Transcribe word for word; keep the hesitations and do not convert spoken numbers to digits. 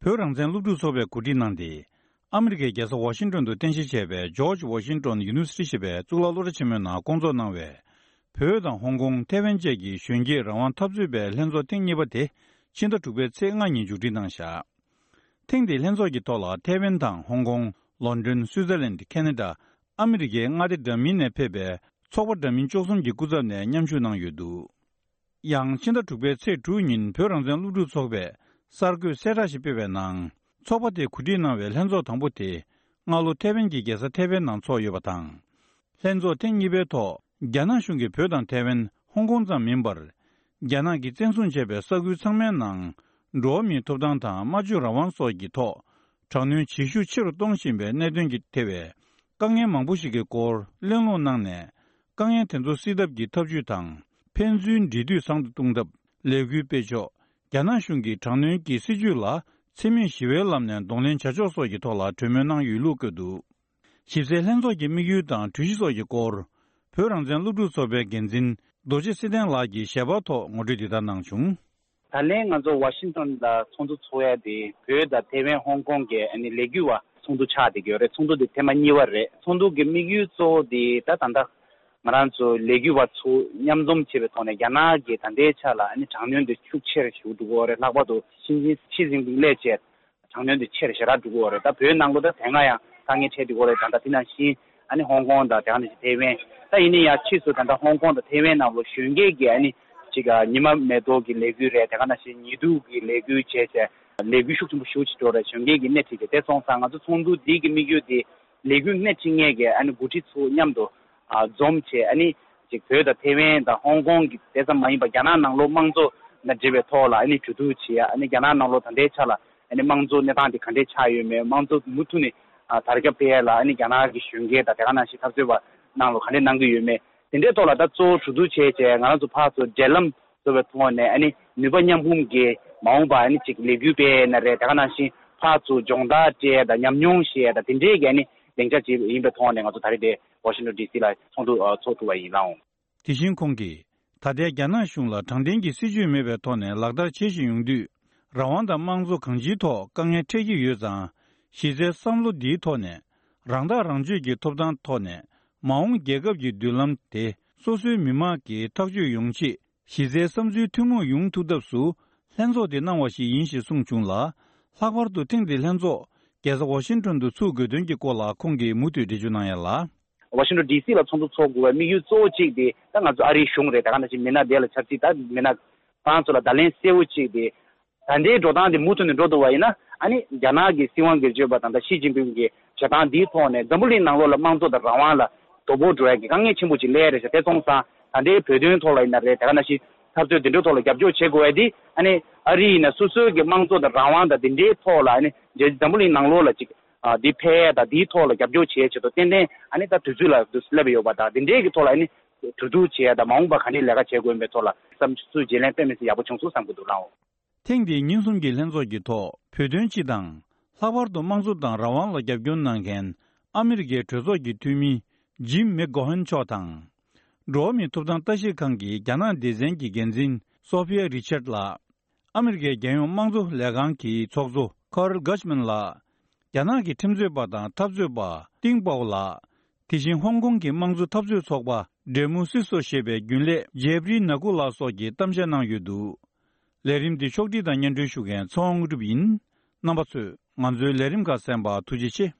བོད་རང་བཙན་སློབ་ཕྲུག་ཚོགས་པས་གོ་སྒྲིག་གནང་སྟེ། ཨ་མི་རི་ཀའི་རྒྱལ་ས་ཝ་ཤིང་ཏོན་དུ་རྟེན་གཞི་བྱས་པའི་George Washington University ཞེས་པའི་གཙུག་ལག་སློབ་གྲྭ་ཆེན་མོའི་ནང་བསྐོང་ཚོགས་གནང་བའི། བོད་དང་ཧོང་ཀོང་། ཐེ་ཝན་བཅས་ཀྱི་གཞོན་སྐྱེས་རང་དབང་འཐབ་རྩོད་པའི་ལྷན་ཚོགས་ཐེངས་གཉིས་པ་དེ་ཕྱི་ཟླ་དྲུག་པའི་ཚེས་ལྔ་ཉིན་མཇུག་སྒྲིལ་གནང་བཞག་ཐེངས་འདིའི་ལྷན་ཚོགས་ཀྱི་ཐོག་ལ་ཐེ་ཝན་དང་ཧོང་ཀོང་། ལོན་ཌོན། སུའུ་ཙེར་ལན། ཁེ་ན་ཌ། ཨ་མི་རི་ཀའི་མངའ་སྡེ་འདྲ་མིན་ནས་ཕེབས་པའི་ཚོགས་པ་འདྲ་མིན་བཅུ་གསུམ་གྱི་སྐུ་ཚབ་ནས་མཉམ་ཞུགས་གནང་ཡོད་འདུག་ཡང་ཕྱི་ཟླ་དྲུག་པའི་ཚེས་དྲུག་ཉིན་བོད་རང་བཙན་སློབ་ཕྲུག་ཚོགས་པས་གསར་འགོད་གསལ་བསྒྲགས་ཤིག་སྤེལ་བའི་ནང་། ཚོགས་པ་དེས་གོ་སྒྲིག་གནང་བའི་ལྷན་ཚོགས་དང་པོ་དེ་སྔ་ལོ་ཐེ་ཝན་གྱི་རྒྱལ་ས་ཐེ་ཝན་ནང་ཚོགས་ཡོད་པ་དང་། ལྷན་ཚོགས་ཐེངས་གཉིས་པའི་ཐོག་རྒྱ་ནག་གཞུང་གིས་བོད་དང་ཐེ་ཝན། ཧོང་ཀོང་ཙམ་མིན་པར། རྒྱ་ནག་གིས་བཙན་བཟུང་བྱས་པའི་ས་ཁུལ་ཚང་མའི་ནང་། འགྲོ་བ་མིའི་ཐོབ་ཐང་དང་སྨྲ་བརྗོད་རང་དབང་སོགས་ཀྱི་ཐོག་དྲག་གནོན་ཇེ་ཤུགས་ཆེ་རུ་གཏོང་བཞིན་པའི་གནད་དོན་གྱི་ཐེ་བའི་དཀའ་ངལ་མང་པོ་ཞིག་གི་སྐོར་གླེང་སློང་གནང་ནས། དཀའ་ངལ་དེ་ཚོ་སེལ་ཐབས་ཀྱི་ཐབས་ཇུས་དང་། ཕན་ཚུན་འབྲེལ་མཐུད་བཟང་དུ་གཏོང་ཐབས། ལས་འགུལ་སྤེལ་ཕྱོགས། རྒྱ་ནག་གཞུང་གི་དྲག་གནོན་གྱི་སྲིད་བྱུས་ལ་འཚེ་མེད་ཞི་བའི་ལམ་ནས་གདོང་ལེན་བྱ་ཕྱོགས་སོགས་ཀྱི་ཐོག་ལ་གྲོས་མོལ་གནང་ཡོད་ལུགས་བཀོད་འདུག་ཞིབ་གསལ་ལྷན་ཚོགས་ཀྱི་དམིགས་ཡུལ་དང་གྲོས་གཞི་སོགས་ཀྱི་སྐོར། བོད་རང་བཙན་སློབ་ཕྲུག་ཚོགས་པའི་འགན་འཛིན་རྡོ་རྗེ་སེ་བརྟན་ལགས་ཀྱིས་ཞལ་པར་ཐོག་ངོ་སྤྲོད་འདི་ལྟར་གནང་བྱུང་། ད་ལན་ང་ཚོ་ཝ་ཤིང་ཏོན་ལ་ཚོགས་འདུ་ཚོགས་ཡ་དེ་བོད་དང་ཐེ་ཝན་ཧོང་ཀོང་གི་ཨ་ནི་ལས་འགུལ་བ་ཚོགས་འདུ་ཆགས་བསྡད་ཀྱི་ཡོད་རེད། ཚོགས་འདུ་དེ་ཐེངས་མ་གཉིས་པ་རེད། ཚོགས་འདུ་གི་དམིགས་ཡུལ་གཙོ་བོ་དེ་ད་ད་ལྟ་ང་རང་ཚོ་ལས་འགུལ་བ་ཚོ་མཉམ་འཛོམས་བྱས་པའི་ཐོག་ནས་རྒྱ་ནག་གི་ད་ལྟའི་ཆ་ལ་ཨ་ནི་དྲག་གནོན་དེ་ཤུགས་ཆེ་རུ་ཞུགས་འགྲོ་གི་ཡོད་རེད། ལྷག་པར་དུ་ཞི་ཅིན་ཕིང་སླེབས་བྱས། དྲག་གནོན་དེ་ཆེ་རུ་ཞེ་དྲག་འགྲོ་གི་ཡོད་རེད། ད་བོད་ནང་ལོགས་ད་དེ་སྔ་ཡང་དཀའ་ངལ་འཕྲད་འགྲོ་གི་ཡོད་རེད། ད་ལྟ་དེ་ནང་བཞིན་ཨ་ནི་ཧོང་ཀོང་དང་དེ་ག་ནང་བཞིན་ཐེ་ཝན། ད་ཡིན་ན་ཡང་ཕྱིས་སུ་ད་ལྟ་ཧོང་ཀོང་དང་ཐེ་ཝན་ནང་ལོགས་གཞོན་སྐྱེས་ཀྱི་ཨ་ནི་ཅིག་ཉི་མ་མེ་ཏོག་གི་ལས་འགུལ་རེད། དེ་ག་ནང་བཞིན་ཉི་གདུགས་ཀྱི་ལས་འགུལ་བྱས་བྱས་ལས་འགུལ་ཤུགས་ཆེན་པོ་ཞེ་པོ་ཅིག་འགྲོ་རེད། གཞོན་སྐྱེས་ཀྱི་སྣེ་ཁྲིད་བྱས། དེ་སོང་ཙང་ང་ཚོ་ཚོགས་འདུ་འདི་གི་དམིགས་ཡུལ་དེ་ལས་འགུལ་སྣེ་ཁྲིད་མཁན་གྱི་ཨ་ནི་འགོ་ཁྲིད་ཚོ་མཉམ་དུ་ཨ་འཛོམས་བྱས། ཨ་ནི་ཅིག་བོད་དང་ཐེ་ཝན་དང་ཧོང་ཀོང་གི་དེ་ཙམ་མ་ཡིན་པར་རྒྱ་ནག་ནང་ལོགས་དམངས་གཙོ་དང་འབྲེལ་བའི་ཐོག་ལ་ཨ་ནི་གྲོས་བསྡུར་བྱས། ཨ་ནི་རྒྱ་ནག་ནང་ལོགས་ད་ལྟའི་ཆ་ལ་ཨ་ནི་དམངས་གཙོ་གནས་སྟངས་དེ་ག་འདྲས་ཆགས་ཡོད་མེད། དམངས་གཙོ་མུ་མཐུད་ནས་ཨ་དར་ཁྱབ་སྤེལ་ཡ་ལ་ཨ་ནི་རྒྱ་ནག་གི་གཞོན་སྐྱེས་དང་དེ་ག་ནང་བཞིན་འཐབ་རྩོད་པ་ནང་ལོགས་ག་འདྲས་གནང་གི་ཡོད་མེད། དེ་འདྲའི་ཐོག་ལ་ད་གཙོ་བོ་གྲོས་བསྡུར་བྱས་བྱས། ང་རང་ཚོ་ཕར་ཚུར་འབྲེལ་ལམ་བཟོ་བའི་ཐོག་ནས་ཨ་ནི་ནུས་པ་མཉམ་སྤུངས་ཀྱིས་མ་འོངས་པ་ཨ་ནི་ཅིག་ལས་འགུལ་སྤེལ་ཡས་ན་རེད། དེ་ག་ནང་བཞིན་ཕར་ཚུར་སྦྱོང་བརྡར་སྤྲད་ཡས་དང་ཉམས་མྱོང་བཤད་ཡས་དང་དེ་འདྲའི་གི་ཨ་ནི་སྡིངས་ཆ་ཅིག་ཡིན་པའི་ཐོག་ནས་ང་ཚོ་ད་རེས་དེ་ཝ་ཤིང་ཊོན་ཌི་སི་ལ་ཚོགས་འདུ་ཨ་ཚོགས་ཐུབ་པ་ཡིན་ལགས། དེ་བཞིན་ཁོང་གིས་ད་ལྟའི་རྒྱ་ནག་གཞུང་ལ་དྲང་བདེན་གྱི་སྲིད་བྱུས་མེད་པའི་ཐོག་ནས་ལག་བསྟར་བྱེད་བཞིན་ཡོང་དུས། རང་དབང་དང་དམངས་གཙོ་གང་ཅིའི་ཐོག་དཀའ་ངལ་འཕྲད་ཀྱི་ཡོད་ཙང་། གཞི་རྩའི་བསམ་བློ་འདིའི་ཐོག་ནས་རང་ཐག་རང་གཅོད་ཀྱི་ཐོབ་ཐང་ཐོག་ནས་མ་འོངས་རྒྱལ་ཁབ་ཀྱི་མདུན་ལམ་དེ་སོ་སོའི་མི་དམངས་ཀྱིས་ཐག་གཅོད་ཡོང་ཆེད་གཞི་རྩའི་བསམ་ཚུལ་ཐུན་མོང་ཡོང་ཐུབ་ཐབས་སུ་ལྷན་ཚོགས་འདི་གནང་བ་ཞིག་ཡིན་ཞེས་གསུངས་བྱུང་ལ། ལྷག་པར་དུ་ཐེངས་འདིའི་ལྷན་ཚོགས་རྒྱལ་ས་ཝ་ཤིང་ཊོན་དུ་ཚུགས་དགོས་དོན་གྱི་སྐོར་ལ་ཁོང་གིས་མུ་མཐུད་འགྲེལ་བརྗོད་གནང་ཡ་ལ། ཝ་ཤིང་ཊོན་ཌི་སི་ལ་ཚོགས་འདུ་ཚོགས་དགོས་པའི་དམིགས་ཡུལ་གཙོ་བོ་གཅིག་དེ་ད་ང་ཚོ་ཨ་རིའི་གཞུང་རེད། ད་ག་ནང་བཞིན་མི་སྣ་དེ་ལ་ཆབ་སྲིད་ད་མི་སྣ་ཁོང་ཚོ་ལ་བརྡ་ལན་གསལ་བོ་གཅིག་དེ། ད་ལྟའི་འགྲོ་སྟངས་དེ་མུ་མཐུད་ནས་འགྲོ་འདུག་པ་ཡིན་ན། ཨ་ནི་རྒྱ་ནག་གི་སྲིད་དབང་སྒེར་གཅོད་པ་དང་ད་ཞི་ཅིན་ཕིང་གི་བྱེད་སྟངས་འདིའི་ཐོག་ནས་འཛམ་བུ་གླིང་ནང་ལོགས་ལ་དམངས་གཙོ་དང་རང་དབང་ལ་དོ་ཕོག་འགྲོ་ཡ་གི་དཀའ་ངལ་ཆེན་པོ་ཅིག་སླེབས་རེད་ཤག་དེ་སོང་ཙང་ད་ལྟའི་བོད་དོན་ཐོག་ལ་ཡིན་ན་རེད། དེ་ག་ནང་བཞིན་འཐབ་རྩོད་དེ་འདྲའི་ཐོག་ལ་རྒྱབ་སྐྱོར་བྱེད་དགོས་ཡ་དེ། ཨ་ནི་ཨ་རི་ཡིན་ན་སོ་སོའི་གི་དམངས་གཙོ་དང་རང་དབང་དང་དེ་འདྲའི་ཐོག་ལ་ཨ་ནི་འཛམ་བུ་གླིང་ནང་ལོགས་ལ་ཅིག་ཨ་འདི་འཕེལ་ཡ་དང་དེའི་ཐོག་ལ་རྒྱབ་སྐྱོར་བྱེད་ཡ་ཆེད་དུ་ཏན་ཏན་ཨ་ནི་ད་དུས་ཚོད་ལ་སླེབས་ཡོད་པ་དང་། དེ་འདྲའི་གི་ཐོག་ལ་ཨ་ནི་གྲོས་བསྡུར་བྱེད་ཡ་དང་མ་འོངས་པ་ག་འདྲའི་ལས་ཀ་བྱེད་དགོས་ཡིན་པའི་ཐོག་ལ་བསམ་ཚུལ་བརྗེ་ལེན་དཔེ་མི་སྲིད་ཡག་པོ་བྱུང་སོང་བསམ་གྱི་འདུག་ལགས། ཐེངས་འདིའི་ཉིན་གསུམ་གྱི་ལྷན་ཚོགས་ཀྱི་ཐོག་བོད་དོན་སྤྱི་དང་། ལྷག་པར་དུ་དམངས་གཙོ་དང་རང་དབང་ལ་རྒྱབ་སྐྱོར་གནང་མཁན་ཨ་མི་རི་ཀའི་གྲོས་ཚོགས་ཀྱི་འཐུས་མི་ཇིམ་མེག་གོ་ཧན་མཆོག་དང་། འགྲོ་བ་མིའི་ཐོབ་ཐང་ལྟ་ཞིབ་ཁང་གི་རྒྱ་ནག་སྡེ་ཚན་གྱི་འགན་འཛིན་སོ་ཕི་ཡ་རི་ཆར་ལགས། ཨ་མི་རི་ཀའི་རྒྱལ་ཡོངས་དམངས་གཙོ་ལས་ཁང་གི་ཚོགས་གཙོ་ཁར་གྷ་ཆ་མན་ལགས། རྒྱ་ནག་གི་ཁྲིམས་རྩོད་པ་དང་འཐབ་རྩོད་པ་ཏིང་པའོ་ལགས། དེ་བཞིན་ཧོང་ཀོང་གི་དམངས་གཙོ་འཐབ་རྩོད་ཚོགས་པ་ཌེ་མོ་སི་སོ་ཞེས་པའི་རྒྱུན་ལས་ཇེབ་རི་ན་ཀུ་ལགས་སོགས་ཀྱིས་གཏམ་བཤད་གནང་ཡོད་འདུག་ལས་རིམ་འདི་ཕྱོགས་སྒྲིག་དང་སྙན་སྒྲོན་ཞུ་མཁན་ཚེ་དབང་དངོས་གྲུབ་ཡིན། རྣམ་པ་ཚོས་ང་ཚོའི་ལས་རིམ་ཁག་གསན་པར་ཐུགས་རྗེ་ཆེ།